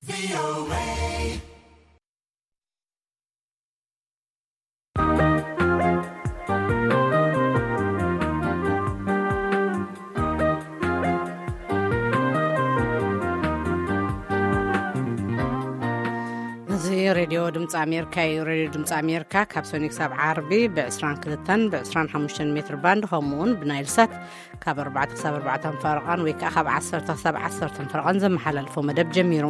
እዚ ሬድዮ ድምፂ ኣሜሪካ እዩ። ሬድዮ ድምፂ ኣሜሪካ ካብ ሰኒ ክሳብ ዓርቢ ብ22 ብ25 ሜትር ባንድ፣ ከምኡውን ብናይል ሳት ካብ ኣርባዕተ ክሳብ ኣርባዕተ ፈረቓን ወይ ከዓ ካብ ዓሰርተ ክሳብ ዓሰርተ ፈረቓን ዘመሓላልፎ መደብ ጀሚሩ።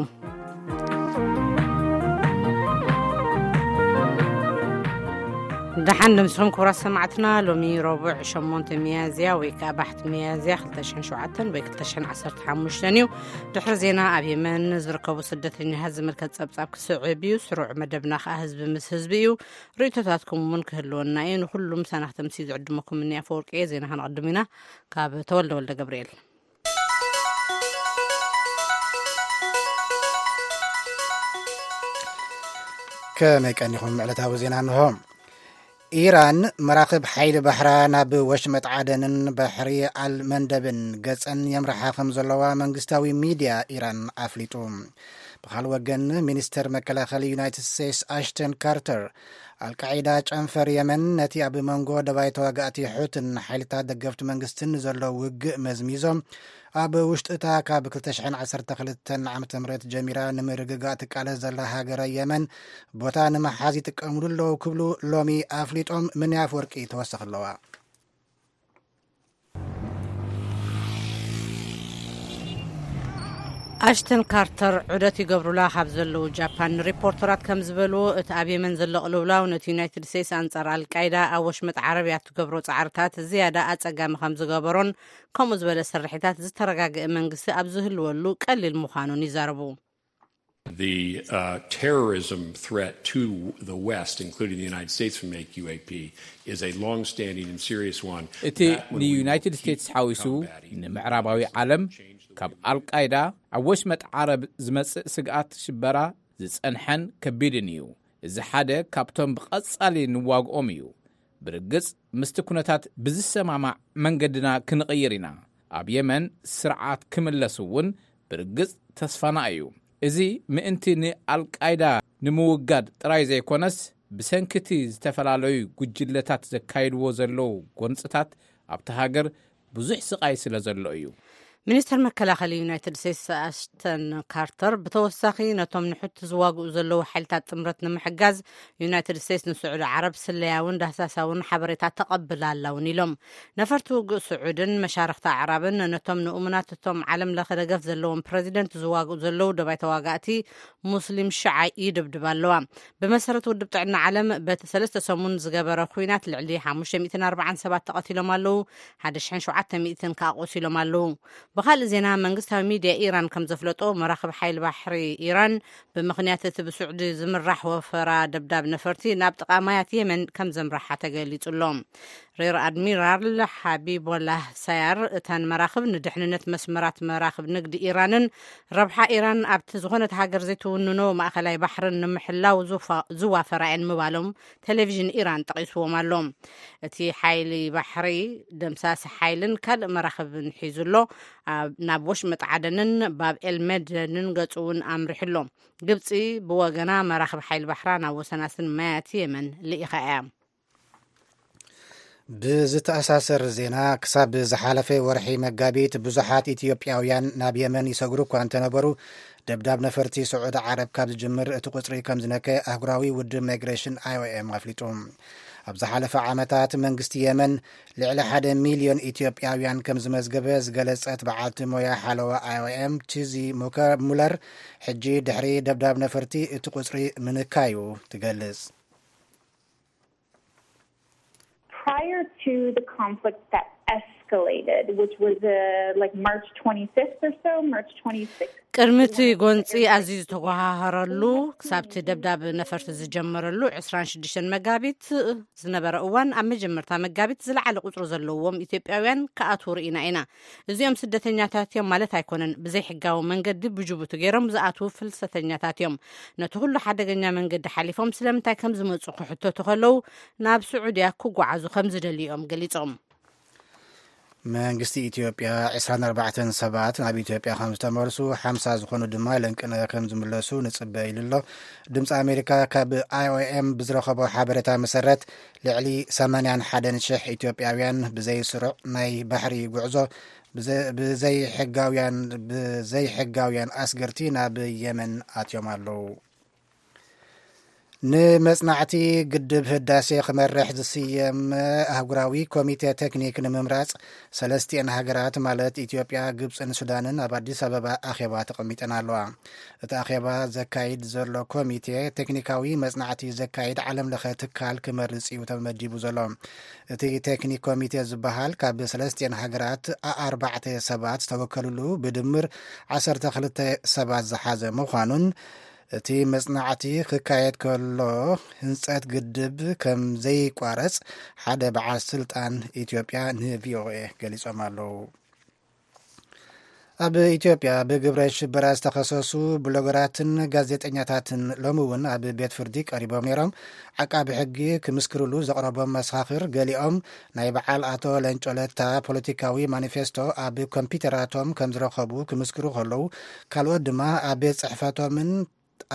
ደሓን ደምስኹም ክቡራት ሰማዕትና። ሎሚ ረቡዕ ሸሞንተ ሚያዝያ ወይ ከዓ ባሕቲ ሚያዝያ ክልተ ሽሕን ሸውዓተን ወይ ክልተ ሽሕን ዓሰርተ ሓሙሽተን እዩ። ድሕሪ ዜና ኣብ የመን ዝርከቡ ስደተኛታት ዝምልከት ጸብጻብ ክስዕብ እዩ። ስሩዕ መደብና ከዓ ህዝቢ ምስ ህዝቢ እዩ። ርእይቶታትኩም እውን ክህልወና እዩ። ንኹሉም ሳናኽተ ምስ ዝዕድመኩም እኒ ኣፈወርቂ እየ። ዜና ከነቐድም ኢና። ካብ ተወልደ ወልደ ገብርኤል። ከመይ ቀኒኹም? ዕለታዊ ዜና እንሆ። ኢራን መራኽብ ሓይሊ ባሕራ ናብ ወሽመጥ ዓደንን ባሕሪ ኣልመንደብን ገጸን የምርሓ ከም ዘለዋ መንግስታዊ ሚድያ ኢራን ኣፍሊጡ። ብኻልእ ወገን፣ ሚኒስተር መከላኸሊ ዩናይትድ ስቴትስ ኣሽተን ካርተር፣ ኣልቃዒዳ ጨንፈር የመን ነቲ ኣብ መንጎ ደባይ ተዋጋእቲ ሑትን ሓይልታት ደገፍቲ መንግስትን ዘሎ ውግእ መዝሚዞም፣ ኣብ ውሽጢ እታ ካብ ክልተ ሽሕን ዓሰርተ ክልተን ዓመተ ምህረት ጀሚራ ንምርግጋእ ትቃለስ ዘላ ሃገረ የመን ቦታ ንምሓዝ ይጥቀምሉ ኣለዉ ክብሉ ሎሚ ኣፍሊጦም። ምን ኣፈወርቂ ተወሰኽ ኣለዋ። ኣሽተን ካርተር ዑደት ይገብሩላ ካብ ዘለዉ ጃፓን ንሪፖርተራት ከም ዝበልዎ፣ እቲ ኣብ የመን ዘሎ ቅልውላው ነቲ ዩናይትድ ስቴትስ ኣንጻር ኣልቃይዳ ኣብ ወሽመጥ ዓረብ እያ እትገብሮ ጻዕርታት ዝያዳ ኣጸጋሚ ከም ዝገበሮን ከምኡ ዝበለ ስርሒታት ዝተረጋገአ መንግስቲ ኣብ ዝህልወሉ ቀሊል ምዃኑን ይዛረቡ። The uh, terrorism threat to the West, including the United States from A Q A P, is a long-standing and serious one. እቲ ንዩናይትድ ስቴትስ ሓዊሱ ንምዕራባዊ ዓለም ካብ ኣልቃይዳ ኣብ ወሽመጥ ዓረብ ዝመጽእ ስግኣት ሽበራ ዝጸንሐን ከቢድን እዩ። እዚ ሓደ ካብቶም ብቐጻሊ ንዋግኦም እዩ። ብርግጽ ምስቲ ኩነታት ብዝሰማማዕ መንገድና ክንቕይር ኢና። ኣብ የመን ስርዓት ክምለስ እውን ብርግጽ ተስፋና እዩ። እዚ ምእንቲ ንኣልቃይዳ ንምውጋድ ጥራይ ዘይኮነስ፣ ብሰንኪቲ ዝተፈላለዩ ጉጅለታት ዘካይድዎ ዘለዉ ጎንጽታት ኣብቲ ሃገር ብዙሕ ስቓይ ስለ ዘሎ እዩ። ሚኒስተር መከላኸሊ ዩናይትድ ስቴትስ ኣሽተን ካርተር ብተወሳኺ፣ ነቶም ንሑቲ ዝዋግኡ ዘለዉ ሓይልታት ጥምረት ንምሕጋዝ ዩናይትድ ስቴትስ ንስዑዲ ዓረብ ስለያውን ዳህሳሳውን ሓበሬታ ተቐብላ ኣላ እውን ኢሎም። ነፈርቲ ውግእ ስዑድን መሻርኽቲ ኣዕራብን ነቶም ንእሙናት እቶም ዓለም ለኸ ደገፍ ዘለዎም ፕረዚደንት ዝዋግኡ ዘለዉ ደባይ ተዋጋእቲ ሙስሊም ሽዓ ይድብድባ ኣለዋ። ብመሰረት ውድብ ጥዕና ዓለም፣ በቲ ሰለስተ ሰሙን ዝገበረ ኲናት ልዕሊ ሓሙሽተ ሚእትን ኣርባዓን ሰባት ተቐቲሎም ኣለዉ፣ ሓደ ሽሕን ሸውዓተ ሚእትን ከኣ ቆሲሎም ኣለዉ። ብኻልእ ዜና፣ መንግስታዊ ሚድያ ኢራን ከም ዘፍለጦ፣ መራኽብ ሓይሊ ባሕሪ ኢራን ብምኽንያት እቲ ብስዑዲ ዝምራሕ ወፈራ ደብዳብ ነፈርቲ ናብ ጥቓ ማያት የመን ከም ዘምርሓ ተገሊጹ ኣሎ። ሬር ኣድሚራል ሓቢቦላህ ሳያር፣ እተን መራኽብ ንድሕንነት መስመራት መራኽብ ንግዲ ኢራንን ረብሓ ኢራን ኣብቲ ዝኾነት ሃገር ዘይትውንኖ ማእኸላይ ባሕርን ንምሕላው ዝፋ-፣ ዝዋፈራ እየን ምባሎም ቴሌቪዥን ኢራን ጠቒስዎም ኣሎ። እቲ ሓይሊ ባሕሪ ደምሳሲ ሓይልን ካልእ መራኽብን ሒዙ ኣሎ። ኣብ፣ ናብ ወሽመጥ ዓደንን ባብ ኤልመደንን ገጹ እውን ኣምሪሑ ኣሎ። ግብጺ ብወገና መራኽብ ሓይሊ ባሕራ ናብ ወሰናስን ማያት የመን ልኢኻ እያ። ብዝተኣሳሰር ዜና፣ ክሳብ ዝሓለፈ ወርሒ መጋቢት ብዙሓት ኢትዮጵያውያን ናብ የመን ይሰግሩ እኳ እንተነበሩ፣ ደብዳብ ነፈርቲ ስዑዲ ዓረብ ካብ ዝጅምር እቲ ቁጽሪ ከም ዝነከ ኣህጉራዊ ውድብ ማይግሬሽን፣ ኣይ ኦ ኤም፣ ኣፍሊጡ። ኣብ ዝሓለፈ ዓመታት መንግስቲ የመን ልዕሊ ሓደ ሚልዮን ኢትዮጵያውያን ከም ዝመዝገበ ዝገለጸት በዓልቲ ሞያ ሓለዋ ኣይ ኦ ኤም፣ ቺዚ ሙከ-፣ ሙለር፣ ሕጂ ድሕሪ ደብዳብ ነፈርቲ እቲ ቁጽሪ ምንካዩ ትገልጽ። Prior to the conflict that escalated, which was uh, like March twenty-fifth or so, March twenty-sixth. ቅድሚ እቲ ጎንፂ ኣዝዩ ዝተጓሃሃረሉ፣ ክሳብ እቲ ደብዳብ ነፈርቲ ዝጀመረሉ ዕስራን ሽዱሽተን መጋቢት ዝነበረ እዋን፣ ኣብ መጀመርታ መጋቢት ዝለዓለ ቁፅሪ ዘለዎም ኢትዮጵያውያን ክኣትዉ ርኢና ኢና። እዚኦም ስደተኛታት እዮም ማለት ኣይኮነን። ብዘይሕጋዊ መንገዲ ብጅቡቲ ገይሮም ዝኣትዉ ፍልሰተኛታት እዮም። ነቲ ኩሉ ሓደገኛ መንገዲ ሓሊፎም ስለምንታይ ከም ዝመጹ ክሕተቱ ከለዉ፣ ናብ ስዑድያ ክጓዓዙ ከም ዝደልዩ እዮም ገሊጾም። መንግስቲ ኢትዮጵያ ዕስራን ኣርባዕተን ሰባት ናብ ኢትዮጵያ ከም ዝተመልሱ፣ ሓምሳ ዝኾኑ ድማ ለንቅነ ከም ዝምለሱ ንጽበ ኢሉ ኣሎ። ድምፂ ኣሜሪካ ካብ ኣይ ኦ ኤም ብዝረኸቦ ሓበሬታ መሰረት፣ ልዕሊ ሰማንያን ሓደን ሽሕ ኢትዮጵያውያን ብዘይ ስሩዕ ናይ ባሕሪ ጉዕዞ ብዘ-፣ ብዘይሕጋውያን፣ ብዘይሕጋውያን ኣስገርቲ ናብ የመን ኣትዮም ኣለዉ። ንመጽናዕቲ ግድብ ህዳሴ ክመርሕ ዝስየም ኣህጉራዊ ኮሚቴ ቴክኒክ ንምምራጽ፣ ሰለስቲኤን ሃገራት ማለት ኢትዮጵያ፣ ግብጽን ሱዳንን ኣብ ኣዲስ ኣበባ ኣኼባ ተቐሚጠን ኣለዋ። እቲ ኣኼባ ዘካይድ ዘሎ ኮሚቴ፣ ቴክኒካዊ መጽናዕቲ ዘካይድ ዓለም ለኸ ትካል ክመርጽ እዩ ተመዲቡ ዘሎ። እቲ ቴክኒክ ኮሚቴ ዝበሃል፣ ካብ ሰለስቲኤን ሃገራት ኣርባዕተ ሰባት ዝተወከሉሉ፣ ብድምር ዓሰርተ ክልተ ሰባት ዝሓዘ ምዃኑን፣ እቲ መጽናዕቲ ክካየድ ከሎ፣ ህንጸት ግድብ ከም ዘይቋረጽ ሓደ በዓል ስልጣን ኢትዮጵያ ን ቪ ኦ ኤ ገሊጾም ኣለዉ። ኣብ ኢትዮጵያ ብግብረ ሽበራ ዝተኸሰሱ ብሎገራትን ጋዜጠኛታትን ሎሚ እውን ኣብ ቤት ፍርዲ ቀሪቦም ነይሮም። ዓቃቢ ሕጊ ክምስክርሉ ዘቕረቦም መሰኻኽር፣ ገሊኦም ናይ በዓል ኣቶ ለንጮ ለታ ፖለቲካዊ ማኒፌስቶ ኣብ ኮምፒውተራቶም ከም ዝረኸቡ ክምስክሩ ከለዉ፣ ካልኦት ድማ ኣብ ቤት ጽሕፈቶምን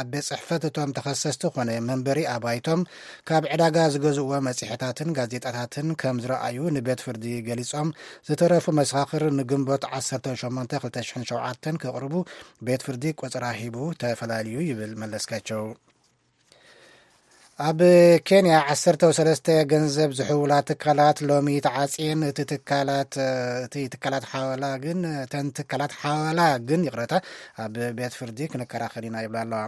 ኣብ ቤት ጽሕፈት እቶም ተኸሰስቲ ኮነ መንበሪ ኣባይቶም ካብ ዕዳጋ ዝገዝእዎ መጽሔታትን ጋዜጣታትን ከም ዝረኣዩ ንቤት ፍርዲ ገሊጾም፣ ዝተረፉ መሰኻኽር ንግንቦት ዓሰርተ ሸሞንተ ክልተ ሽሕን ሸውዓተን ክቕርቡ ቤት ፍርዲ ቆጸራ ሂቡ ተፈላልዩ ይብል መለስካቸው። ኣብ ኬንያ ዓሰርተ ሰለስተ ገንዘብ ዝሕውላ ትካላት ሎሚ ተዓጽየን። እቲ ትካላት፣ እቲ ትካላት ሓወላ ግን፣ እተን ትካላት ሓወላ ግን፣ ይቕረታ፣ ኣብ ቤት ፍርዲ ክንከራኸር ኢና ይብላ ኣለዋ።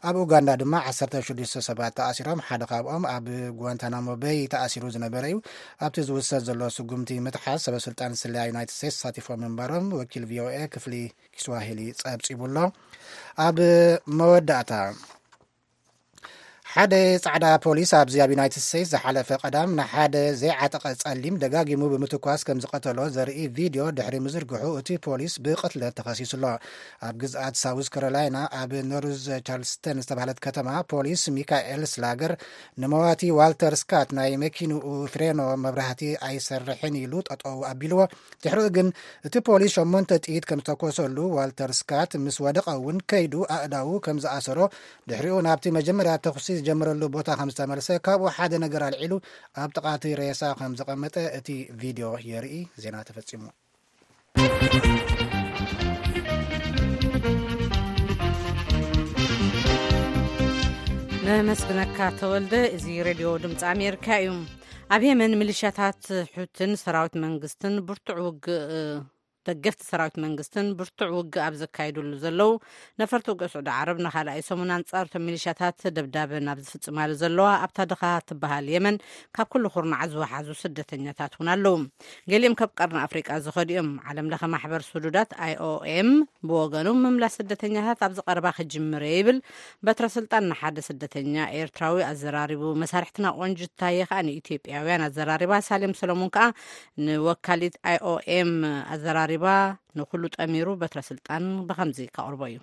ኣብ ኡጋንዳ ድማ ዓሰርተ ሽዱሽተ ሰባት ተኣሲሮም። ሓደ ካብኦም ኣብ ጓንታናሞ በይ ተኣሲሩ ዝነበረ እዩ። ኣብቲ ዝውሰድ ዘሎ ስጉምቲ ምትሓዝ፣ ሰበ ስልጣን ስለያ ዩናይትድ ስቴትስ ተሳቲፎም ምንባሮም ወኪል ቪ ኦ ኤ ክፍሊ ኪስዋሂሊ ጸብጺቡ ኣሎ። ኣብ መወዳእታ፣ ሓደ ጻዕዳ ፖሊስ ኣብዚ ኣብ ዩናይትድ ስቴትስ ዝሓለፈ ቀዳም ንሓደ ዘይዓጠቐ ጸሊም ደጋጊሙ ብምትኳስ ከም ዝቐተሎ ዘርኢ ቪድዮ ድሕሪ ምዝርግሑ፣ እቲ ፖሊስ ብቕትለት ተኸሲሱ ኣሎ። ኣብ ግዝኣት ሳውዝ ካሮላይና፣ ኣብ ኖርዝ ቻርልስተን ዝተባህለት ከተማ፣ ፖሊስ ሚካኤል ስላገር ንመዋቲ ዋልተር ስካት ናይ መኪንኡ ፍሬኖ መብራህቲ ኣይሰርሕን ኢሉ ጠጠው ኣቢልዎ። ድሕሪኡ ግን እቲ ፖሊስ ሸሞንተ ጥይት ከም ዝተኮሰሉ፣ ዋልተር ስካት ምስ ወደቐ እውን ከይዱ ኣእዳዉ ከም ዝኣሰሮ፣ ድሕሪኡ ናብቲ መጀመርያ ተኹሲ ዝጀመረሉ ቦታ ከም ዝተመልሰ፣ ካብኡ ሓደ ነገር ኣልዒሉ ኣብ ጥቓ እቲ ሬሳ ከም ዘቐመጠ እቲ ቪድዮ የርኢ። ዜና ተፈጺሙ። ነመስግነካ ተወልደ። እዚ ሬድዮ ድምፂ ኣሜሪካ እዩ። ኣብ የመን ሚሊሻታት ሑትን ሰራዊት መንግስትን ብርቱዕ ውግእ፣ ደገፍቲ ሰራዊት መንግስትን ብርቱዕ ውግእ ኣብ ዘካይዱሉ ዘለዉ፣ ነፈርቲ ውግእ ስዑዲ ዓረብ ንኻልኣይ ሰሙን ኣንጻር እቶም ሚሊሻታት ደብዳበ ናብ ዝፍጽማሉ ዘለዋ ኣብታ ድኻ ትበሃል የመን፣ ካብ ኩሉ ኩርናዓት ዝወሓዙ ስደተኛታት እውን ኣለዉ። ገሊኦም ካብ ቀርኒ ኣፍሪቃ ዝኸዱ እዮም። ዓለም ለኸ ማሕበር ስዱዳት ኣይ ኦ ኤም ብወገኑ፣ ምምላስ ስደተኛታት ኣብዚ ቀረባ ክጅምር እየ ይብል። በትረ ስልጣን ንሓደ ስደተኛ ኤርትራዊ ኣዘራሪቡ። መሳርሕትና ቆንጅት ታየ ከኣ ንኢትዮጵያውያን ኣዘራሪባ። ሳሌም ሰሎሞን ከኣ ንወካሊት ኣይ ኦ ኤም ኣዘራሪባ። ንኹሉ ጠሚሩ በትረ ስልጣን ብኸምዚ ከቕርቦ እዩ።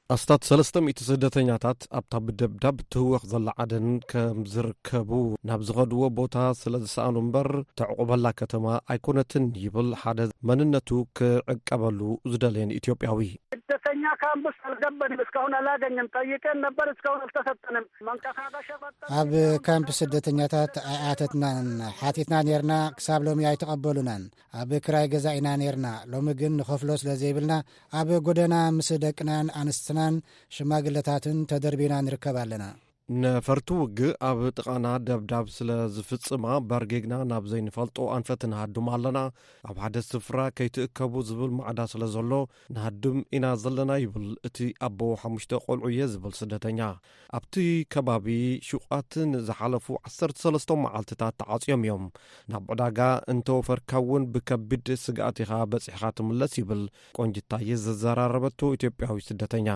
ኣስታት ሰለስተ ሚእቲ ስደተኛታት ኣብታ ብደብዳብ ትህወኽ ዘላ ዓደን ከም ዝርከቡ፣ ናብ ዝኸድዎ ቦታ ስለ ዝሰኣኑ እምበር፣ ተዕቑበላ ከተማ ኣይኮነትን ይብል ሓደ መንነቱ ክዕቀበሉ ዝደለየን ኢትዮጵያዊ። ስደተኛ ካምፕስ አልገባንም፣ እስካሁን አላገኘም። ጠይቀን ነበር፣ እስካሁን አልተሰጠንም። መንቀሳቀሻ በጣም ኣብ ካምፕ ስደተኛታት ኣይኣተትናን። ሓቲትና ኔርና፣ ክሳብ ሎሚ ኣይተቐበሉናን። ኣብ ክራይ ገዛ ኢና ኔርና። ሎሚ ግን ንኸፍሎ ስለ ዘይብልና፣ ኣብ ጎደና ምስ ደቅናን ኣንስትናን ሽማግለታትን ተደርቢና ንርከብ ኣለና። ነፈርቲ ውግእ ኣብ ጥቓና ደብዳብ ስለ ዝፍጽማ፣ በርጊግና ናብ ዘይንፈልጦ ኣንፈት ንሃድም ኣለና። ኣብ ሓደ ስፍራ ከይትእከቡ ዝብል ማዕዳ ስለ ዘሎ፣ ንሃድም ኢና ዘለና ይብል እቲ ኣቦ ሓሙሽተ ቆልዑ እየ ዝብል ስደተኛ። ኣብቲ ከባቢ ሹቓት ንዝሓለፉ ዓሰርተ ሰለስተ መዓልትታት ተዓጽዮም እዮም። ናብ ዕዳጋ እንተወፈርካ እውን ብከቢድ ስግኣት ኢኻ በጺሕኻ ትምለስ ይብል ቆንጅታየ ዘዘራረበቶ ኢትዮጵያዊ ስደተኛ።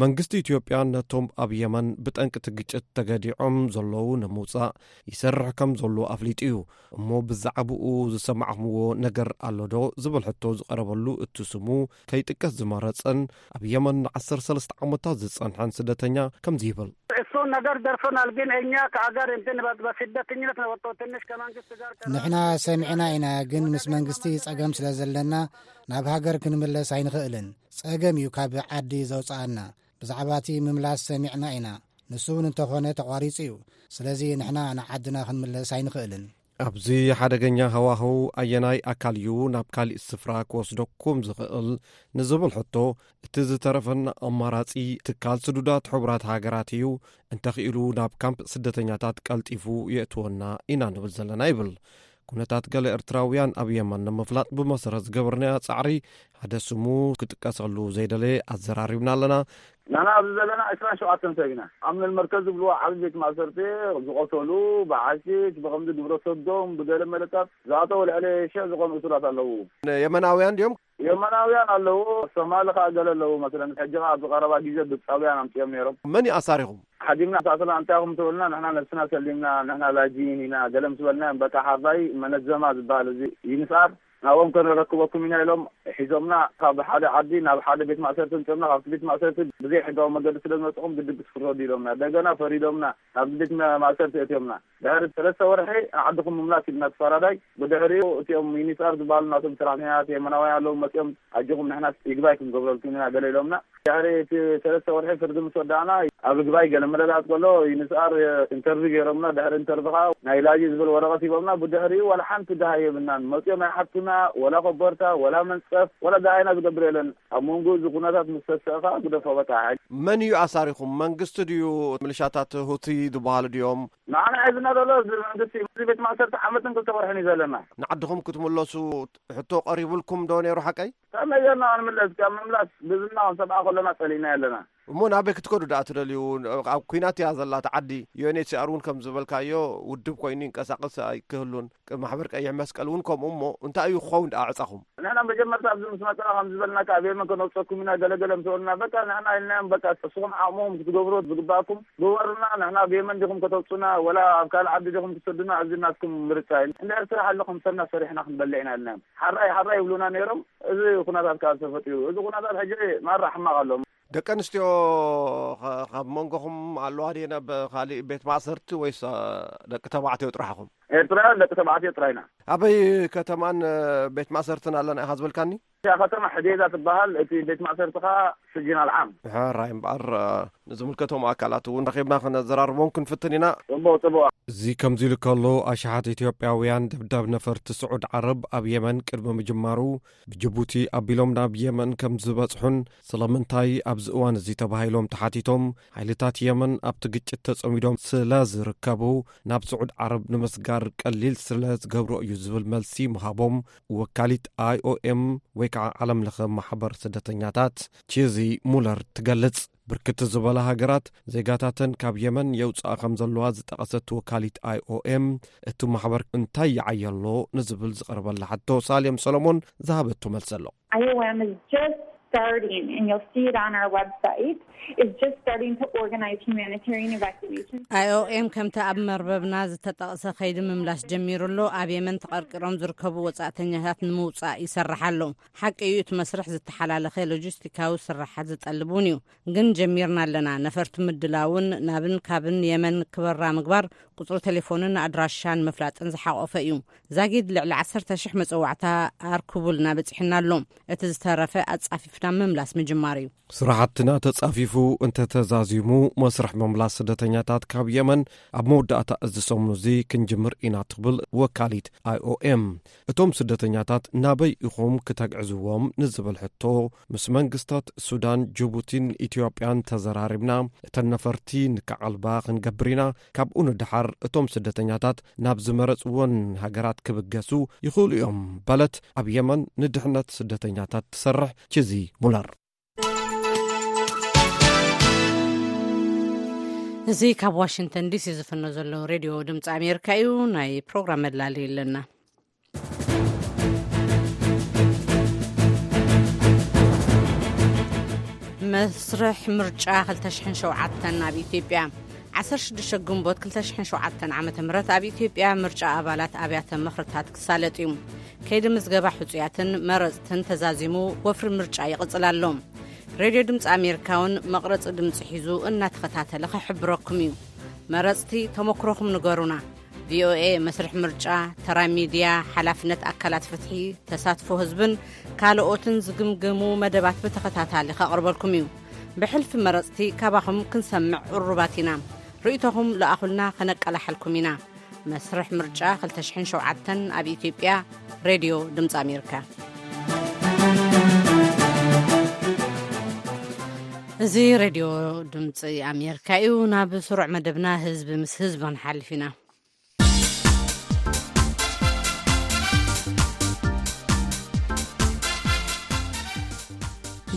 መንግስቲ ኢትዮጵያ ነቶም ኣብ የመን ብጠንቂ እቲ ግጭት ተገዲዖም ዘለዉ ንምውጻእ ይሰርሕ ከም ዘሎ ኣፍሊጡ እዩ። እሞ ብዛዕባኡ ዝሰማዕኹምዎ ነገር ኣሎ ዶ ዝብል ሕቶ ዝቐረበሉ እቲ ስሙ ከይጥቀስ ዝመረጸን ኣብ የመን ንዓሰርተ ሰለስተ ዓመታት ዝጸንሐን ስደተኛ ከምዚ ይብል። እሱ ነገር ደርሶናል፣ ግን እኛ ከአገር እንትን በ- በስደተኝነት ነው ወጥቶ ትንሽ ከመንግስት ጋር ከ- ንሕና ሰሚዕና ኢና፣ ግን ምስ መንግስቲ ጸገም ስለ ዘለና ናብ ሃገር ክንምለስ ኣይንኽእልን። ጸገም እዩ ካብ ዓዲ ዘውጽኣና። ብዛዕባ እቲ ምምላስ ሰሚዕና ኢና፣ ንሱ እውን እንተኾነ ተቋሪጹ እዩ። ስለዚ ንሕና ንዓድና ክንምለስ ኣይንኽእልን። ኣብዚ ሓደገኛ ሃዋህው ኣየናይ ኣካል እዩ ናብ ካሊእ ስፍራ ክወስደኩም ዝኽእል ንዝብል ሕቶ፣ እቲ ዝተረፈና ኣማራጺ ትካል ስዱዳት ሕቡራት ሃገራት እዩ። እንተኽኢሉ ናብ ካምፕ ስደተኛታት ቀልጢፉ የእትወና ኢና ንብል ዘለና ይብል። ኩነታት ገለ ኤርትራውያን ኣብ የመን ንምፍላጥ ብመሰረት ዝገበርናዮ ጻዕሪ ሓደ ስሙ ክጥቀሰሉ ዘይደለየ ኣዘራሪብና ኣለና። ንሕና ኣብዚ ዘለና ዕስራን ሸውዓተን ሰብ ኢና። ኣብ መልመርከዝ ዝብልዎ ዓብዪ ቤት ማእሰርቲ ዝቆሰሉ፣ ብሓሽሽ፣ ብኸምዚ ግብረ ሰዶም፣ ብገለ መለታት ዝኣተው ልዕሊ ሽሕ ዝኾኑ እሱራት ኣለዉ። የመናውያን ድዮም? የመናውያን ኣለዉ፣ ሶማሊ ከኣ ገለ ኣለዉ። መሰለን ሕጂ ከኣ ኣብዚ ቀረባ ግዜ ግብጻውያን ኣምጺኦም ነይሮም። መን እዩ ኣሳሪኹም? ሓዲምና ሳስላ እንታይ ኢኹም ትብልና፣ ንሕና ነብስና ሰሊምና፣ ንሕና ላጅይን ኢና፣ ገለ ምስ በልናዮም፣ በቃ ሓራይ መነዘማ ዝበሃል እዚ ይንስኣር ናብኦም ከነረክበኩም ኢና ኢሎም ሒዞምና። ካብ ሓደ ዓዲ ናብ ሓደ ቤት ማእሰርቲ ኣምጺኦምና። ካብቲ ቤት ማእሰርቲ ብዘይ ሕጋዊ መገዲ ስለ ዝመጽኹም ግድን ክትፍረዱ ኢሎምና። እንደገና ፈሪዶምና፣ ናብዚ ቤት መ- ማእሰርቲ ኣእትዮምና። ድሕሪ ሰለስተ ወርሒ ንዓድኹም ምምላስ ኢልና እቲ ፈራዳይ። ብድሕሪኡ እቲኦም ዩኒሳር ዝበሃሉ ናቶም ሰራሕተኛታት የመናውያን ኣለዉ መጺኦም፣ ኣጆኹም ንሕና ይግባይ ክንገብረልኩም ኢና ገለ ኢሎምና። ድሕሪ እቲ ሰለስተ ወርሒ ፍርዲ ምስ ወዳእና ኣብ ይግባይ ገለ መለላት ከሎ ዩኒሳር ኢንተርቪው ገይሮምና። ድሕሪ ኢንተርቪው ከዓ ናይ ላጂ ዝብል ወረቐት ሂቦምና። ብድሕሪኡ ዋላ ሓንቲ ደሃይ የብልናን። መጺኦም ኣይሓቱና፣ ወላ ኮቦርታ፣ ወላ መንጸፍ፣ ወላ ደሃይና ዝገብር የለን። ኣብ መንጎ እዚ ኩነታት ምስ ተሰእኻ ግደፎ በቃ። መን እዩ ኣሳሪኹም? መንግስቲ ድዩ? ሚሊሻታት ሁቲ ዝበሃሉ ድዮም? ንዓና ሒዝና ዘሎ እዚ መንግስቲ እዩ። እዚ ቤት ማእሰርቲ ዓመትን ክልተ ወርሕን እዩ ዘለና። ንዓድኹም ክትምለሱ ሕቶ ቀሪቡልኩም ዶ ነይሩ ሓቀይ? ከመይ ጌርና ክንምለስ? ካብ ምምላስ ብዝና ከም ሰብኣ ከለና ጸሊእና ኣለና። እሞ ናበይ ክትከዱ ደኣ ትደልዩ? ኣብ ኲናት እያ ዘላ እታ ዓዲ። ዩ ኤን ኤች ሲ ኣር እውን ከም ዝበልካዮ ውድብ ኮይኑ ይንቀሳቐስ ኣይክህሉን። ቅ- ማሕበር ቀይሕ መስቀል እውን ከምኡ። እሞ እንታይ እዩ ክኸውን ደኣ ዕጻኹም? ንሕና መጀመርታ ኣብዚ ምስ መጻና ከም ዝበልናካ ኣብ የመን ከነውጸኩም ኢና ገለገለ ምስ በሉና፣ በቃ ንሕና ኢልናዮም፣ በቃ እስኹም ዓቕምኹም ክትገብሩ ዝግባኣኩም ግበሩና። ንሕና ኣብ የመን ዲኹም ከተውጹና ወላ ኣብ ካልእ ዓዲ ዲኹም ትሰዱና፣ እዚ ናትኩም ምርጫ እዩ። እንድሕር ስራሕ ኣሎ ከም ሰብና ሰሪሕና ክንበልዕ ኢና ኢልናዮም። ሓራይ ሓራይ ይብሉና ነይሮም። እዚ ኩነታት ካብ ተፈጢሩ፣ እዚ ኩነታት ሕጂ ማራ ሕማቕ ኣሎ። ደቂ ኣንስትዮ ኸ- ካብ መንጎኹም ኣለዋ ድየን ኣብ ካሊእ ቤት ማእሰርቲ ወይስ ኣ፣ ደቂ ተባዕትዮ ጥራሕኹም? ኤርትራውያን ደቂ ተባዕትዮ ጥራይና። ኣበይ ከተማን እ፣ ቤት ማእሰርትን ኣለና ኢኻ ዝበልካኒ? እዛ ከተማ ሕዴዛ ትበሃል፣ እቲ ቤት ማእሰርቲ ኸዓ ስጅን ኣልዓም። ሕራይ እምበኣር እ፣ ንዝምልከቶም ኣካላት እውን ረኺብና ክነዘራርቦም ክንፍትን ኢና። ጽቡቕ ጽቡቕ። እዚ ከምዚ ኢሉ ከሎ ኣሽሓት ኢትዮጵያውያን ደብዳብ ነፈርቲ ስዑድ ዓረብ ኣብ የመን ቅድሚ ምጅማሩ ብጅቡቲ ኣቢሎም ናብ የመን ከም ዝበጽሑን ስለምንታይ ኣብዚ እዋን እዚ ተባሂሎም ተሓቲቶም፣ ሓይልታት የመን ኣብቲ ግጭት ተጸሚዶም ስለ ዝርከቡ ናብ ስዑድ ዓረብ ንምስጋር ቀሊል ስለ ዝገብሮ እዩ ዝብል መልሲ ምሃቦም ወካሊት ኣይ ኦ ኤም ወይ ከዓ ዓለም ለኸ ማሕበር ስደተኛታት ቺዚ ሙለር ትገልጽ። ብርክት ዝበላ ሃገራት ዜጋታተን ካብ የመን የውፅኣ ከም ዘለዋ ዝጠቐሰት ወካሊት ኣይ ኦ ኤም፣ እቲ ማሕበር እንታይ ይዓየሎ ንዝብል ዝቐረበላ ሕቶ ሳሌም ሰሎሞን ዝሃበቶ መልሲ ኣሎ። I O M is just starting, and you'll see it on our website, is just starting to organize humanitarian evacuations. ኣይ ኦ ኤም ከምቲ ኣብ መርበብና ዝተጠቕሰ ከይዲ ምምላስ ጀሚሩ ኣሎ። ኣብ የመን ተቐርቂሮም ዝርከቡ ወጻእተኛታት ንምውጻእ ይሰርሕ ኣሎ። ሓቂ እዩ፣ እቲ መስርሕ ዝተሓላለኸ ሎጂስቲካዊ ስራሓት ዝጠልብ እውን እዩ። ግን ጀሚርና ኣለና። ነፈርቲ ምድላውን ናብን ካብን የመን ክበራ ምግባር፣ ቁጽሪ ቴሌፎንን ኣድራሻን ምፍላጥን ዝሓቖፈ እዩ። ዛጊድ ልዕሊ ዓሰርተ ሽሕ መጸዋዕታ ኣርክቡልና በጺሕና ኣሎ። እቲ ዝተረፈ ኣጻፊፍና ምምላስ ምጅማር እዩ። ስራሕትና ተጻፊፉ እንተተዛዚሙ፣ መስርሕ ምምላስ ስደተኛታት ካብ የመን ኣብ መወዳእታ እዚ ሰሙን እዚ ክንጅምር ኢና ትብል ወካሊት ኣይ ኦ ኤም። እቶም ስደተኛታት ናበይ ኢኹም ክተግዕዝዎም ንዝብል ሕቶ፣ ምስ መንግስታት ሱዳን፣ ጅቡቲን ኢትዮጵያን ተዘራሪብና፣ እተን ነፈርቲ ንክዓልባ ክንገብር ኢና። ካብኡ ንደሓር እቶም ስደተኛታት ናብ ዝመረጽወን ሃገራት ክብገሱ ይኽእሉ እዮም በለት ኣብ የመን ንድሕነት ስደተኛታት ትሰርሕ ቺዚ ሙለር። እዚ ካብ ዋሽንግተን ዲሲ ዝፍኖ ዘሎ ሬድዮ ድምፂ ኣሜሪካ እዩ። ናይ ፕሮግራም መላሊ ኣለና። መስርሕ ምርጫ ክልተ ሽሕን ሸውዓተን ኣብ ኢትዮጵያ። ዓሰርተ ሽዱሽተ ግንቦት ክልተ ሽሕን ሸውዓተን ዓመተ ምህረት ኣብ ኢትዮጵያ ምርጫ ኣባላት ኣብያተ ምኽርታት ክሳለጥ እዩ። ከይዲ ምዝገባ ሕጹያትን መረጽትን ተዛዚሙ ወፍሪ ምርጫ ይቕጽል ኣሎ። ሬድዮ ድምፂ ኣሜሪካ እውን መቕረፂ ድምፂ ሒዙ እናተኸታተለ ክሕብረኩም እዩ። መረፅቲ፣ ተመክሮኹም ንገሩና። ቪ ኦ ኤ መስርሕ ምርጫ፣ ተራ ሚድያ፣ ሓላፍነት ኣካላት ፍትሒ፣ ተሳትፎ ህዝብን ካልኦትን ዝግምግሙ መደባት ብተኸታታሊ ከቕርበልኩም እዩ። ብሕልፊ መረፅቲ ካባኹም ክንሰምዕ ቅሩባት ኢና። ርእይቶኹም ለኣኹልና፣ ከነቀላሕልኩም ኢና። መስርሕ ምርጫ ክልተ ሽሕን ሸውዓተን ኣብ ኢትዮጵያ። ሬድዮ ድምፂ ኣሜሪካ። እዚ ሬድዮ ድምፂ ኣሜሪካ እዩ። ናብ ስሩዕ መደብና ህዝቢ ምስ ህዝቢ ክንሓልፍ ኢና።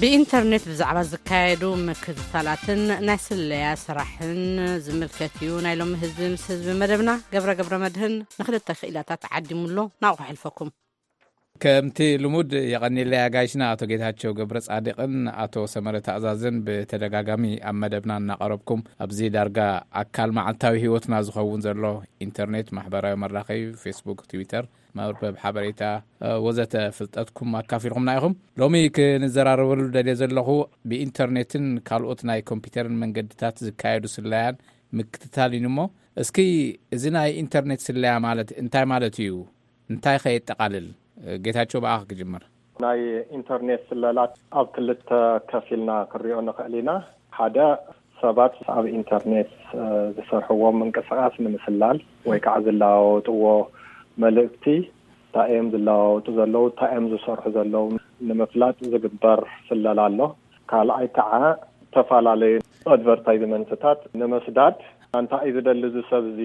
ብኢንተርኔት ብዛዕባ ዝካየዱ ምክትታላትን ናይ ስለያ ስራሕን ዝምልከት እዩ። ናይ ሎሚ ህዝቢ ምስ ህዝቢ መደብና ገብረ ገብረ መድህን ንክልተ ክኢላታት ዓዲሙሎ፣ ናብኡ ክሕልፈኩም። ከምቲ ልሙድ የቐኒለይ ኣጋይሽና ኣቶ ጌታቸው ገብረ ጻድቕን ኣቶ ሰመረ ተኣዛዝን ብተደጋጋሚ ኣብ መደብና እናቐረብኩም ኣብዚ ዳርጋ ኣካል መዓልታዊ ህይወትና ዝኸውን ዘሎ ኢንተርኔት፣ ማሕበራዊ መራኸቢ፣ ፌስቡክ፣ ትዊተር፣ መርበብ ሓበሬታ፣ እ፣ ወዘተ ፍልጠትኩም ኣካፊልኩምና ኢኹም። ሎሚ ክንዘራረበሉ ደልየ ዘለኹ ብኢንተርኔትን ካልኦት ናይ ኮምፒውተርን መንገድታት ዝካየዱ ስለያን ምክትታል እዩ እሞ፣ እስኪ እዚ ናይ ኢንተርኔት ስለያ ማለት እንታይ ማለት እዩ? እንታይ ከ የጠቓልል? ጌታቸው፣ ብኣኻ ክጅምር። ናይ ኢንተርኔት ስለላት ኣብ ክልተ ከፊልና ክንሪኦ ንኽእል ኢና። ሓደ፣ ሰባት ኣብ ኢንተርኔት፣ እ፣ ዝሰርሕዎ ምንቅስቓስ ንምስላል ወይ ከዓ ዝለዋወጥዎ መልእክቲ፣ እንታይ እዮም ዝለዋወጡ ዘለዉ፣ እንታይ እዮም ዝሰርሑ ዘለዉ ንምፍላጥ ዝግበር ስለላ ኣሎ። ካልኣይ ከዓ፣ ዝተፈላለዩ ኣድቨርታይዝመንትታት ንምስዳድ፣ እንታይ እዩ ዝደሊ እዚ ሰብ እዚ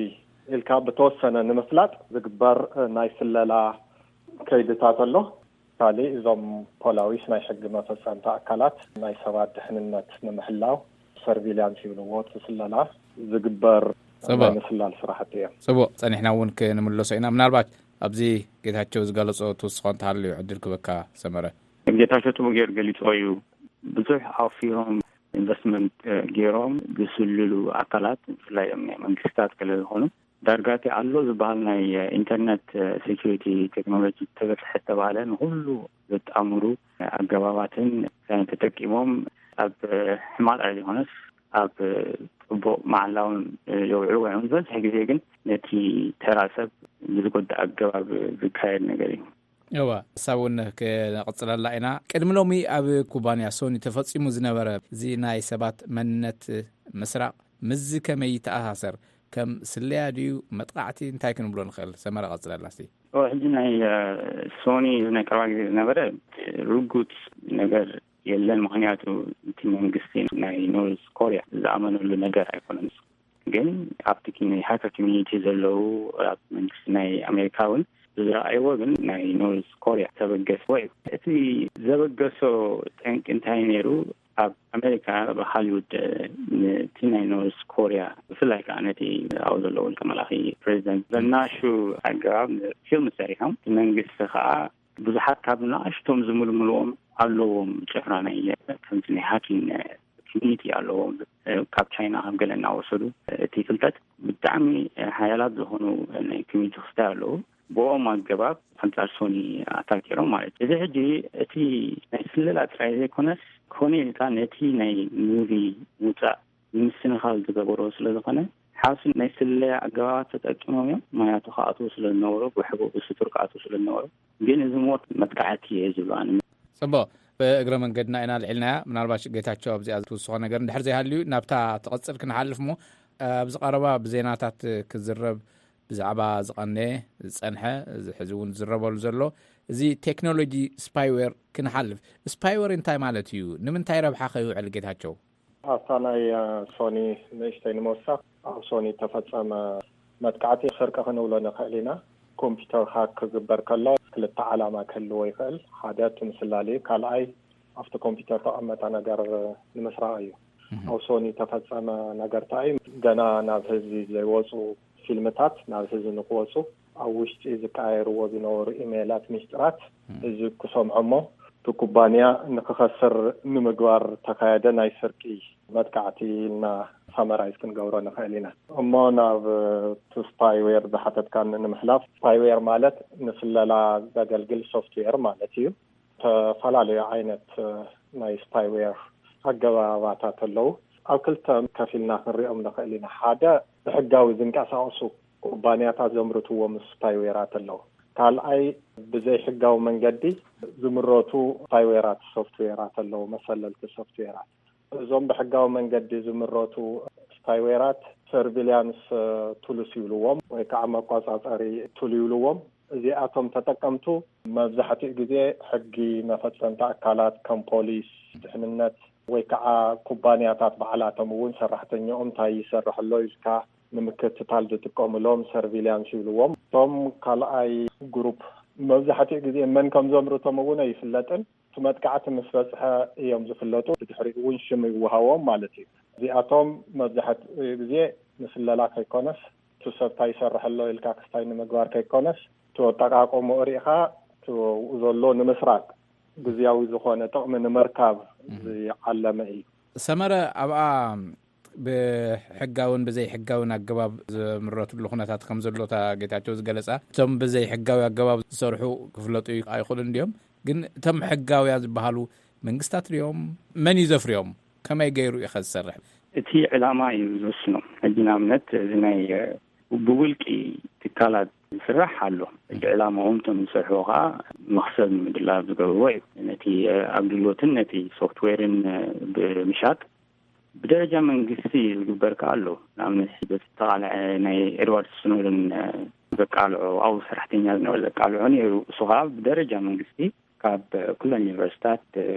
ኢልካ ብተወሰነ ንምፍላጥ ዝግበር፣ እ፣ ናይ ስለላ ከይድታት ኣሎ። ካልእ፣ እዞም ፖላዊስ ናይ ሕጊ መፈጸምቲ ኣካላት ናይ ሰባት ድሕንነት ንምሕላው፣ ሰርቪልያንስ ይብልዎ፣ እቲ ስለላ ዝግበር ጽቡቕ። ናይ ምስላል ስራሕቲ እዮም። ጽቡቕ፣ ጸኒሕና እውን ክንምለሶ ኢና። ምናልባት ኣብዚ ጌታቸው ዝገለጾ ትውስኾ እንተሃልዩ ዕድል ክበካ ሰመረ። ጌታቸው ጽቡቕ ገይሩ ገሊጽዎ እዩ። ብዙሕ ኣውፊሮም ኢንቨስትመንት፣ እ፣ ገይሮም ዝስልሉ ኣካላት፣ ብፍላይ እዮም ናይ መንግስታት ገለ ዝኾኑ፣ ዳርጋ እቲ ኣሎ ዝበሃል ናይ ኢንተርነት ሴኩሪቲ ቴክኖሎጂ ተበፅሐ ዝተባሃለ ንኩሉ ዘጣምሩ ኣገባባትን ተጠቂሞም ኣብ ሕማቕ ኣይኮነስ ኣብ ፅቡቕ መዓላውን የውዕሉ እዮም። ዝበዝሕ ግዜ ግን ነቲ ተራ ሰብ ብዝጎድእ ኣገባብ ዝካየድ ነገር እዩ። እዋ፣ እሳ እውን ክነቕፅለላ ኢና። ቅድሚ ሎሚ ኣብ ኩባንያ ሶኒ ተፈፂሙ ዝነበረ እዚ ናይ ሰባት መንነት ምስራቕ ምስዚ ከመይ ይተኣሳሰር? ከም ስለያ ድዩ መጥቓዕቲ? እንታይ ክንብሎ ንኽእል? ሰመረ፣ ቀፅለላ እስቲ። ኦ፣ ሕጂ ናይ፣ እ፣ ሶኒ እዚ ናይ ቀረባ ግዜ ዝነበረ ርጉፅ ነገር የለን። ምኽንያቱ እቲ መንግስቲ ናይ ኖርዝ ኮርያ ዝኣመነሉ ነገር ኣይኮነን። ግን ኣብቲ ኪ-፣ ናይ ሃከር ኮሚኒቲ ዘለዉ፣ ኣብ መንግስቲ ናይ ኣሜሪካ እውን ብዝረኣይዎ፣ ግን ናይ ኖርዝ ኮርያ ተበገሰ ወይ እቲ ዘበገሶ ጠንቂ እንታይ ነይሩ? ኣብ ኣሜሪካ፣ ኣብ ሃሊውድ፣ ነቲ ናይ ኖርዝ ኮርያ፣ ብፍላይ ከዓ ነቲ ኣብኡ ዘሎ ውልቀ መላኺ ፕሬዚደንት፣ በናሹ ኣገባብ ፊልም ሰሪሖም። እቲ መንግስቲ ከዓ ብዙሓት ካብ ንኣሽቶም ዝምልምልዎም ኣለዎም፣ ጭፍራ ናይ፣ ከምቲ ናይ ሃኪንግ ኮሚኒቲ ኣለዎም፣ ካብ ቻይና ከም ገለ እናወሰዱ። እቲ ፍልጠት ብጣዕሚ ሓያላት ዝኾኑ ናይ ኮሚኒቲ ክስታይ ኣለዉ። ብኦም ኣገባብ ኣንጻር ሶኒ ኣታክ ገይሮም ማለት እዩ። እዚ ሕጂ እቲ ናይ ስለላ ጥራይ ዘይኮነስ፣ ኮነ ኢልካ ነቲ ናይ ሙቪ ምውጻእ ንምስንኻል ዝገበሮ ስለ ዝኾነ፣ ሓሱ ናይ ስለያ ኣገባባት ተጠቂሞም እዮም። ምኽንያቱ ክኣትዉ ስለ ዝነበሩ፣ ብሕቡእ ብስቱር ክኣትዉ ስለ ዝነበሩ። ግን እዚ ሞት መጥቃዕቲ እየ ዝብሎ ኣነ። ጽቡቕ። ብእግረ መንገድና ኢና ልዒልናያ። ምናልባሽ ጌታቸው ኣብዚኣ ትውስኾ ነገር እንድሕር ዘይሃልዩ ናብታ ትቕጽል ክንሓልፍ እሞ፣ ኣብዚ ቀረባ ብዜናታት ክዝረብ ብዛዕባ ዝቐነየ ዝጸንሐ፣ እዚ ሕዚ እውን ዝዝረበሉ ዘሎ እዚ ቴክኖሎጂ ስፓይዌር ክንሓልፍ። ስፓይዌር እንታይ ማለት እዩ? ንምንታይ ረብሓ ከ ይውዕል ጌታቸው? ኣብታ ናይ፣ እ፣ ሶኒ ንእሽተይ ንምውሳኽ፣ ኣብ ሶኒ ተፈጸመ መጥቃዕቲ ስርቂ ክንብሎ ንኽእል ኢና። ኮምፒውተር ሃክ ክግበር ከሎ ክልተ ዓላማ ክህልዎ ይኽእል። ሓደ እቲ ምስላል እዩ። ካልኣይ ኣብቲ ኮምፒውተር ተቐመጠ ነገር ንምስራቕ እዩ። እህ። ኣብ ሶኒ ተፈጸመ ነገር እንታይ እዩ? ገና ናብ ህዝቢ ዘይወጹ ፊልምታት ናብ ህዝቢ ንክወጹ ኣብ ውሽጢ ዝቀያየርዎ ዝነበሩ ኢሜላት ሚስጥራት እም። ህዝቢ ክሰምዖ እሞ እቲ ኩባንያ ንክኸስር ንምግባር ተኻየደ ናይ ስርቂ መጥቃዕቲ ኢልና ሳመራይዝ ክንገብሮ ንኽእል ኢና። እሞ ናብ እቲ ስፓይዌር ዝሓተትካኒ ንምሕላፍ፣ ስፓይዌር ማለት ንስለላ ዘገልግል ሶፍትዌር ማለት እዩ። ዝተፈላለዩ ዓይነት ናይ ስፓይዌር ኣገባባታት ኣለዉ። ኣብ ክልተ ከፊልና ክንሪኦም ንኽእል ኢና። ሓደ፣ ብሕጋዊ ዝንቀሳቐሱ ኩባንያታት ዘምርትዎም ስፓይዌራት ኣለዉ። ካልኣይ፣ ብዘይሕጋዊ መንገዲ ዝምረቱ ስፓይዌራት፣ ሶፍትዌራት ኣለዉ፣ መሰለልቲ ሶፍትዌራት። እዞም ብሕጋዊ መንገዲ ዝምረቱ ስፓይዌራት ሰርቪሊያንስ ቱልስ ይብልዎም፣ ወይ ከዓ መቆጻጸሪ ቱል ይብልዎም። እዚኣቶም ተጠቀምቱ መብዛሕትኡ ግዜ ሕጊ መፈጸምቲ ኣካላት ከም ፖሊስ፣ ድሕንነት፣ ወይ ከዓ ኩባንያታት ባዕላቶም እውን ሰራሕተኛኦም እንታይ ይሰርሕ ኣሎ ኢልካ ንምክትታል ዝጥቀምሎም ሰርቪሊያንስ ይብልዎም። እቶም ካልኣይ ግሩፕ መብዛሕትኡ ግዜ መን ከም ዘምርቶም እውን ኣይፍለጥን። እቲ መጥቃዕቲ ምስ በፅሐ እዮም ዝፍለጡ። ብድሕሪኡ እውን ሽም ይወሃዎም ማለት እዩ። እዚኣቶም መብዛሕትኡ ግዜ ንስለላ ከይኮነስ፣ እቲ ሰብ እንታይ ይሰርሕ ኣሎ ኢልካ ክስታይ ንምግባር ከይኮነስ፣ እቲ ኣጠቃቅምኡ ርኢኻ እቲ ዘሎ ንምስራቅ፣ ግዝያዊ ዝኾነ ጥቕሚ ንምርካብ ዝዓለመ እዩ። ሰመረ፣ ኣብኣ ብሕጋውን ብዘይሕጋውን ኣገባብ ዝምረትሉ ኩነታት ከም ዘሎ እታ ጌታቸው ዝገለጻ፣ እቶም ብዘይሕጋዊ ኣገባብ ዝሰርሑ ክፍለጡ ኣይኽእሉን ድዮም? ግን እቶም ሕጋውያን ዝበሃሉ መንግስታት ድዮም? መን እዩ ዘፍርዮም? ከመይ ገይሩ እዩ ከ ዝሰርሕ? እቲ ዕላማ እዩ ዝወስኖ። ሕጂ ንኣብነት እዚ ናይ፣ እ፣ ብውልቂ ትካላት ዝስራሕ ኣሎ። ሕጂ ዕላማኦም እቶም ዝሰርሕዎ ከዓ መኽሰብ ንምድላብ ዝገብርዎ እዩ። ነቲ፣ እ፣ ኣገልግሎትን ነቲ ሶፍትዌርን፣ እ፣ ብምሻጥ ብደረጃ መንግስቲ ዝግበር ከዓ ኣሎ። ንኣብነት በቲ ዝተቃልዐ ናይ ኤድዋርድ ስኖደን፣ እ፣ ዘቃልዖ፣ ኣብኡ ሰራሕተኛ ዝነበረ ዘቃልዖ ነይሩ። እሱ ከዓ ብደረጃ መንግስቲ ካብ ኩለን ዩኒቨርሲታት፣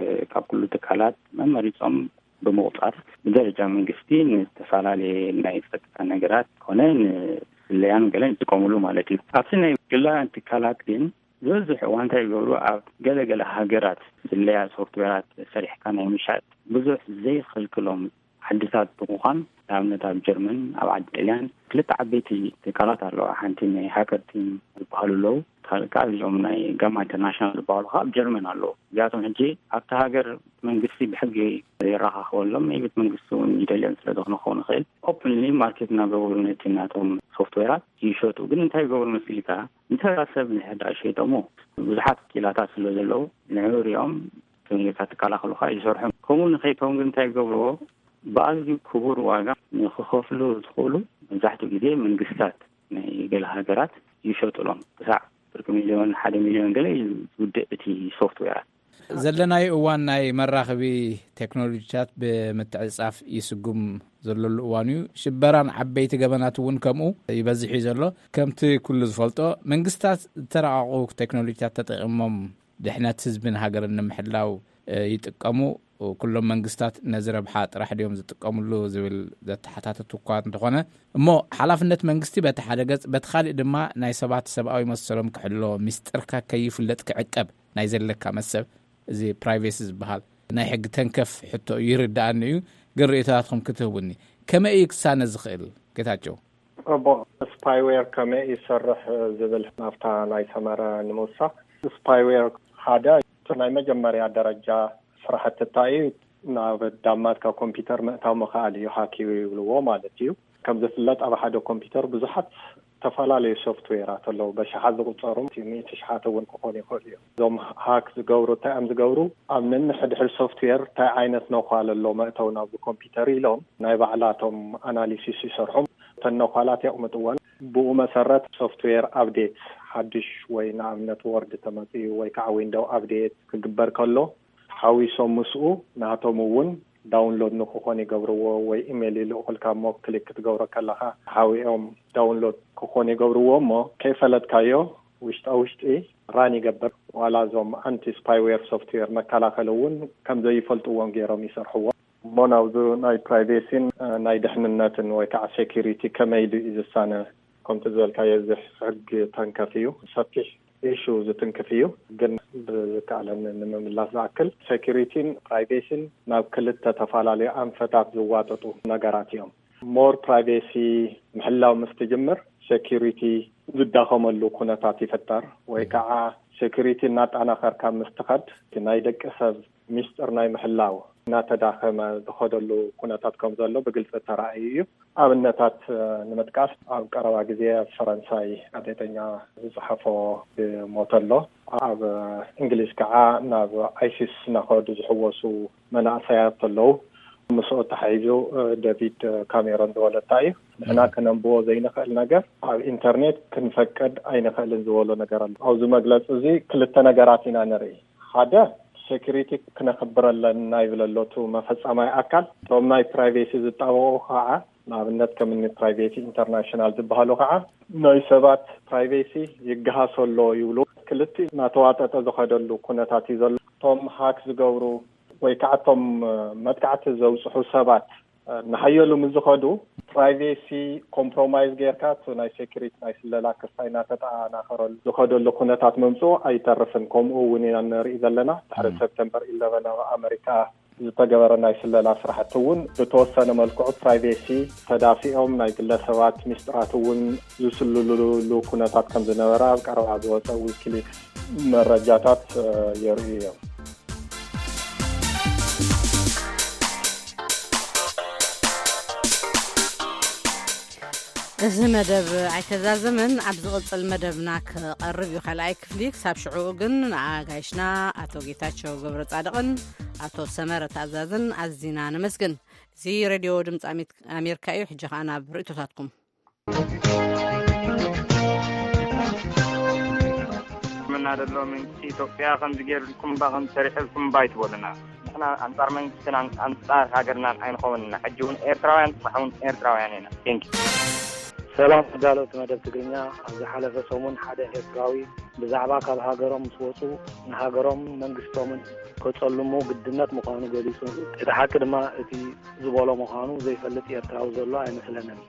ካብ ኩሉ ትካላት መመሪጾም ብምቑጻር ብደረጃ መንግስቲ ንዝተፈላለየ ናይ ጸጥታ ነገራት ኮነ ንስለያን ገለን ይጥቀምሉ ማለት እዩ። ኣብቲ ናይ ግላውያን ትካላት ግን ዝበዝሕ እዋን እንታይ ይገብሩ? ኣብ ገለገለ ሃገራት ስለያ ሶፍትዌራት ሰሪሕካ ናይ ምሻጥ ብዙሕ ዘይኽልክሎም ዓድታት ብምዃን፣ ንኣብነት ኣብ ጀርመን፣ ኣብ ዓዲ ጥልያን ክልተ ዓበይቲ ትካላት ኣለዋ። ሓንቲ ናይ ሃከር ቲም ዝበሃሉ ኣለዉ፣ ካልእ ከዓ እዚኦም ናይ ጋማ ኢንተርናሽናል ዝበሃሉ ከዓ ኣብ ጀርመን ኣለዉ። እዚኣቶም ሕጂ ኣብቲ ሃገር መንግስቲ ብሕጊ የረኻኽበሎም፣ ናይ ቤት መንግስቲ እውን ይደልዮም ስለ ዝኾነ ክኸውን ይኽእል፣ ኦፕንሊ ማርኬት እናገበሩ ነቲ ናቶም ሶፍትዌራት ይሸጡ። ግን እንታይ ይገብሩ መሲልካ? ንተራ ሰብ ንሕዳ ሸይጦሞ ብዙሓት ክኢላታት ስለ ዘለዉ ንዕኡ ሪኦም ተመሊካ ትከላኸሉካ ይሰርሑ። ከምኡ ንኸይከውን ግን እንታይ ይገብርዎ? ብኣዝዩ ክቡር ዋጋ ንክኸፍሉ ዝኽእሉ መብዛሕትኡ ግዜ መንግስታት ናይ ገለ ሃገራት ይሸጡሎም። ክሳዕ ፍርቂ ሚልዮን፣ ሓደ ሚልዮን ገለ እዩ ዝውድእ እቲ ሶፍትዌራት። ዘለናዮ እዋን ናይ መራኸቢ ቴክኖሎጂታት ብምትዕጻፍ ይስጉም ዘለሉ እዋን እዩ። ሽበራን ዓበይቲ ገበናት እውን ከምኡ ይበዝሕ እዩ ዘሎ። ከምቲ ኩሉ ዝፈልጦ፣ መንግስታት ዝተራቐቑ ቴክኖሎጂታት ተጠቒሞም ድሕነት ህዝብን ሃገርን ንምሕላው፣ እ፣ ይጥቀሙ። ኩሎም መንግስታት ነዚ ረብሓ ጥራሕ ድዮም ዝጥቀምሉ ዝብል ዘተሓታተቱ እኳ እንተኾነ፣ እሞ ሓላፍነት መንግስቲ በቲ ሓደ ገጽ፣ በቲ ካልእ ድማ ናይ ሰባት ሰብኣዊ መሰሎም ክሕሎ፣ ሚስጥርካ ከይፍለጥ ክዕቀብ ናይ ዘለካ መሰብ፣ እዚ ፕራይቬሲ ዝበሃል ናይ ሕጊ ተንከፍ ሕቶ እዩ፣ ይርድኣኒ እዩ። ግን ርእይቶታትኩም ክትህቡኒ፣ ከመይ እዩ ክሳነ ዝኽእል? ጌታቸው። እቦ፣ ስፓይዌር ከመይ ይሰርሕ ዝብል ናብታ ናይ ሰመረ ንምውሳኽ፣ ስፓይዌር ሓደ እቲ ናይ መጀመርያ ደረጃ ስራሕቲ እንታይ እዩ? ናብ ዳማትካ ኮምፒውተር ምእታው ምኽኣል እዩ፣ ሃኪ ይብልዎ ማለት እዩ። ከም ዝፍለጥ ኣብ ሓደ ኮምፒውተር ብዙሓት ዝተፈላለዩ ሶፍትዌራት ኣለዉ፣ በሽሓት ዝቑጸሩ፣ ሚእቲ ሽሓት እውን ክኾኑ ይኽእሉ እዮም። እዞም ሃክ ዝገብሩ እንታይ እዮም ዝገብሩ? ኣብ ነንሕድሕድ ሶፍትዌር እንታይ ዓይነት ነዃል ኣሎ መእተው ናብዚ ኮምፒውተር ኢሎም ናይ ባዕላቶም ኣናሊሲስ ይሰርሑ። እተን ነዃላት የቕምጥወን። ብኡ መሰረት ሶፍትዌር ኣፕዴት፣ ሓድሽ ወይ ንኣብነት ወርድ ተመፅዩ ወይ ከዓ ዊንዶው ኣፕዴት ክግበር ከሎ ሓዊሶም ምስኡ ናቶም እውን ዳውንሎድ ንክኾን ይገብርዎ፣ ወይ ኢሜይል ይልእኹልካ እሞ ክሊክ ክትገብሮ ከለኻ ሓዊኦም ዳውንሎድ ክኾን ይገብርዎ። እሞ ከይፈለጥካዮ ውሽጣ ውሽጢ ራን ይገብር። ዋላ እዞም ኣንቲ ስፓይዌር ሶፍትዌር መከላኸሊ እውን ከም ዘይፈልጥዎም ገይሮም ይሰርሕዎ። እሞ ናብዚ ናይ ፕራይቬሲን፣ እ፣ ናይ ድሕንነትን ወይ ከዓ ሴኪሪቲ ከመይ ኢሉ እዩ ዝሳነ? ከምቲ ዝበልካዮ፣ እዚ ሕጊ ተንከፍ እዩ፣ ሰፊሕ ኢሹ ዝትንክፍ እዩ። ግን ብዝከኣለኒ ንምምላስ ዝኣክል፣ ሴኪሪቲን ፕራይቬሲን ናብ ክልተ ተፈላለዩ ኣንፈታት ዝዋጠጡ ነገራት እዮም። ሞር ፕራይቬሲ ምሕላው ምስ ትጅምር፣ ሴኪሪቲ ዝዳኸመሉ ኩነታት ይፍጠር፣ ወይ ከዓ ሴኪሪቲ እናጠናኸርካ ምስ ትኸድ፣ እቲ ናይ ደቂ ሰብ ሚስጥር ናይ ምሕላው እናተዳኸመ ዝኸደሉ ኩነታት ከም ዘሎ ብግልፂ ተራእዩ እዩ። ኣብነታት ንምጥቃስ፣ ኣብ ቀረባ ግዜ ኣብ ፈረንሳይ ጋዜጠኛ ዝፅሓፎ ሞተ ኣሎ። ኣብ እንግሊዝ ከዓ ናብ ኣይሲስ እናኸዱ ዝሕወሱ መናእሰያት ኣለዉ። ምስኡ ተሓይዙ ደቪድ ካሜሮን ዝወለታ እዩ። ንሕና ክነንብቦ ዘይንኽእል ነገር ኣብ ኢንተርኔት ክንፈቅድ ኣይንኽእልን ዝበሎ ነገር ኣሎ። ኣብዚ መግለፂ እዚ ክልተ ነገራት ኢና ንርኢ። ሓደ፣ ሴኩሪቲ ክነኽብር ኣለና ይብል ኣሎ እቲ መፈፀማይ ኣካል። እቶም ናይ ፕራይቬሲ ዝጣበቑ ከዓ፣ ንኣብነት ከም እኒ ፕራይቬሲ ኢንተርናሽናል ዝበሃሉ ከዓ፣ ናይ ሰባት ፕራይቬሲ ይገሃስ ኣሎ ይብሉ። ክልቲኡ እናተዋጠጠ ዝኸደሉ ኩነታት እዩ ዘሎ። እቶም ሃክ ዝገብሩ ወይ ከዓ እቶም መጥቃዕቲ ዘብፅሑ ሰባት ንሓየሉ ምስ ዝኸዱ፣ ፕራይቬሲ ኮምፕሮማይዝ ጌርካ እቲ ናይ ሴኩሪቲ፣ ናይ ስለላ ክስታይ እናተጠናኸረሉ ዝኸደሉ ኩነታት ምምፅኡ ኣይተርፍን። ከምኡ እውን ኢና ንርኢ ዘለና። ድሕሪ ሰፕተምበር ኢለቨን ኣብ ኣመሪካ ዝተገበረ ናይ ስለላ ስራሕቲ እውን ብተወሰነ መልክዑ ፕራይቬሲ ተዳፊኦም ናይ ግለሰባት ሚስጥራት እውን ዝስልሉሉ ኩነታት ከም ዝነበረ ኣብ ቀረባ ዝወፀ ዊኪሊክስ መረጃታት የርእዩ እዮም። እዚ መደብ ኣይተዛዘመን። ኣብ ዝቕጽል መደብና ክቐርብ እዩ ካልኣይ ክፍሊ። ክሳብ ሽዑኡ ግን ንኣጋይሽና ኣቶ ጌታቸው ገብረ ጻድቕን ኣቶ ሰመረ ታዛዝን ኣዚና ነመስግን። እዚ ሬድዮ ድምፂ ኣሜሪካ እዩ። ሕጂ ኸኣ ናብ ርእቶታትኩም። ምና ደሎ መንግስቲ ኢትዮጵያ ከምዚ ገይርልኩም ባ፣ ከምዚ ሰሪሕልኩም ባ ይትበሉና። ንሕና ኣንጻር መንግስትን ኣን- ኣንጻር ሃገርናን ኣይንኸውን ኢና። ሕጂ እውን ኤርትራውያን፣ ጽባሕ እውን ኤርትራውያን ኢና። ቴንኪ። ሰላም ተዳለውቲ መደብ ትግርኛ። ኣብ ዝሓለፈ ሰሙን ሓደ ኤርትራዊ ብዛዕባ ካብ ሃገሮም ምስ ወጹ ንሃገሮምን መንግስቶምን ከጸልሙ ግድነት ምዃኑ ገሊጹ። እቲ ሓቂ ድማ እቲ ዝበሎ ምዃኑ ዘይፈልጥ ኤርትራዊ ዘሎ ኣይመስለንን።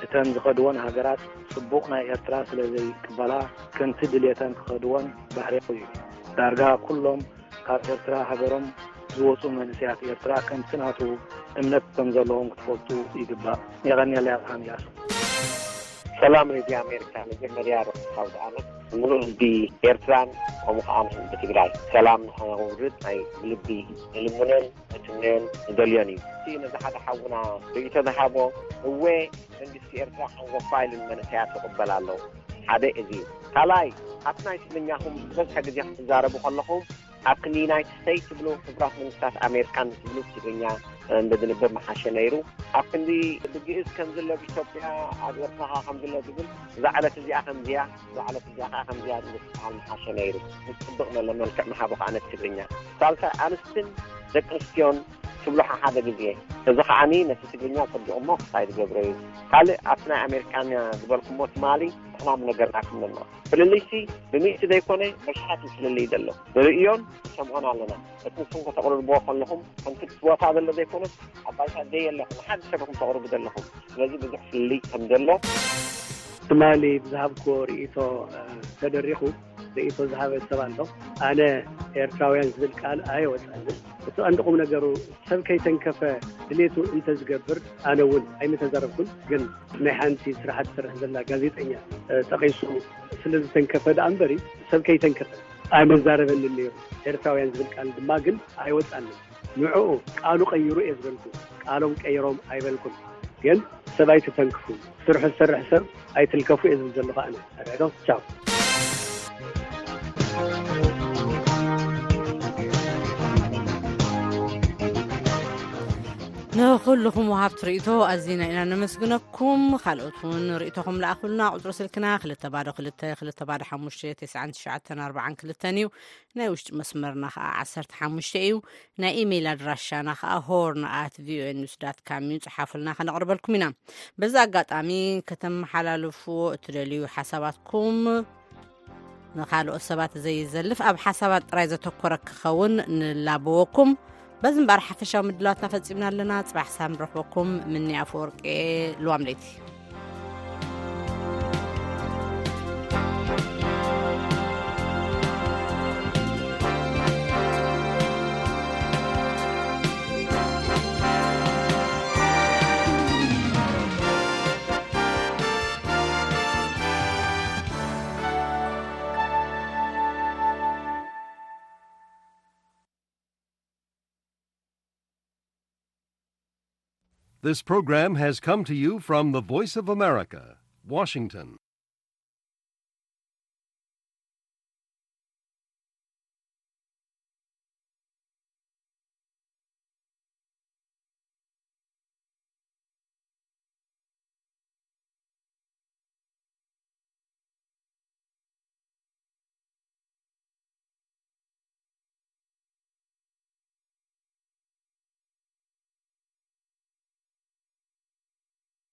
እተን ዝኸድወን ሃገራት ጽቡቕ ናይ ኤርትራ ስለ ዘይቅበላ ከምቲ ድልየተን ክኸድወን ባህርያዊ እዩ። ዳርጋ ኩሎም ካብ ኤርትራ ሃገሮም ዝወጹ መንእሰያት ኤርትራ ከምቲ ናቱ እምነት ከም ዘለዎም ክትፈልጡ ይግባእ። የቐንየለይ ኣብርሃም ኢያሱ። ሰላም ሬድዮ ኣሜሪካ፣ መጀመርያ ርሑስ ኣውደ ዓመት ንምሉእ ህዝቢ ኤርትራን ከምኡ ከኣ ንህዝቢ ትግራይ። ሰላም ንኸውርድ ናይ ብልቢ ንልምኖን ንትምነዮን ንደልዮን እዩ። እቲ ነዚ ሓደ ሓውና ርእይቶ ዝሃቦ፣ እወ መንግስቲ ኤርትራ ሓንጎፋ ኢሉ ንመንእሰያት ይቕበል ኣሎ። ሓደ እዚ እዩ። ካልኣይ፣ ኣብቲ ናይ ትግርኛኹም ዝበዝሐ ግዜ ክትዛረቡ ከለኹም ኣብ ክንዲ ዩናይትድ ስቴትስ ትብሉ፣ ሕቡራት መንግስታት ኣሜሪካን ትብሉ ብትግርኛ እንተዝንበብ ምሓሸ ነይሩ። ኣብ ክንዲ ብግእዝ ከም ዘሎ ኣብ ኢትዮጵያ ኣብ ኤርትራ ከኣ ከም ዘሎ ዝብል፣ እዛ ዕለት እዚኣ ከምዚያ፣ እዛ ዕለት እዚኣ ከኣ ከምዚያ ዝብል ዝበሃል ምሓሸ ነይሩ። ምጽብቕ መለ መልክዕ ምሃቦ ከኣ ነቲ ትግርኛ። ሳልሳይ፣ ኣንስትን ደቂ ኣንስትዮን ትብሉ ሓሓደ ግዜ። እዚ ከኣኒ ነቲ ትግርኛ ጸቢቑ እሞ ክሳይ ዝገብሮ እዩ። ካልእ ኣብቲ ናይ ኣሜሪካኛ ዝበልኩሞ ትማሊ ንሕና ምነገርናኩም ነና። ፍልልይሲ ብሚእቲ ዘይኮነ በሽሓት እዩ ፍልልይ ዘሎ። ንርእዮን ንሰምዖን ኣለና። እቲ ንስኹም ከተቕርብዎ ከለኹም ከምቲ እቲ ቦታ ዘሎ ዘይኮነስ ኣብ ባይታ ዘየለኹም ሓደ ሰብ ኢኹም ተቕርቡ ዘለኹም። ስለዚ ብዙሕ ፍልልይ ከም ዘሎ። ትማሊ ብዝሃብክዎ ርእይቶ ተደሪኹ ርእይቶ ዝሃበ ሰብ ኣሎ። ኣነ ኤርትራውያን ዝብል ቃል ኣየወጻልን። እቲ ቀንዲ ቁም ነገሩ ሰብ ከይተንከፈ ድሌቱ እንተዝገብር ኣነ እውን ኣይምተዛረብኩን። ግን ናይ ሓንቲ ስራሕ ትሰርሕ ዘላ ጋዜጠኛ ጠቒሱ ስለ ዝተንከፈ ደኣ እምበሪ ሰብ ከይተንከፈ ኣይመዛረበንን ነይሩ። ኤርትራውያን ዝብል ቃል ድማ ግን ኣይወጻንን። ንዕኡ ቃሉ ቀይሩ እየ ዝበልኩ። ቃሎም ቀይሮም ኣይበልኩን። ግን ሰብ ኣይትተንክፉ። ስርሑ ዝሰርሕ ሰብ ኣይትልከፉ እየ ዝብል ዘለኹ ኣነ። ኣረዶ ቻው። ንኹልኹም ወሃብቲ ርእይቶ ኣዚና ኢና ነመስግነኩም። ካልኦት እውን ርእይቶኹም ለኣኹልና። ቁጽሪ ስልክና ክልተ ባዶ ክልተ ክልተ ባዶ ሓሙሽተ ተስዓን ትሽዓተን ኣርባዓን ክልተን እዩ። ናይ ውሽጢ መስመርና ኸዓ ዓሰርተ ሓሙሽተ እዩ። ናይ ኢሜይል ኣድራሻና ኸዓ ሆርን ኣት ቪኦኤ ኒውስ ዳት ካም እዩ። ጽሓፉልና፣ ከነቕርበልኩም ኢና። በዚ ኣጋጣሚ ከተመሓላልፍዎ እትደልዩ ሓሳባትኩም ንኻልኦት ሰባት ዘይዘልፍ፣ ኣብ ሓሳባት ጥራይ ዘተኮረ ክኸውን ንላበወኩም። በዚ እምበኣር ሓፈሻዊ ምድላዋትና ፈጺምና ኣለና። ጽባሕ ሳም ረኽበኩም። ምኒ ኣፈወርቂ፣ ልዋም ለይቲ። This program has come to you from the Voice of America, Washington.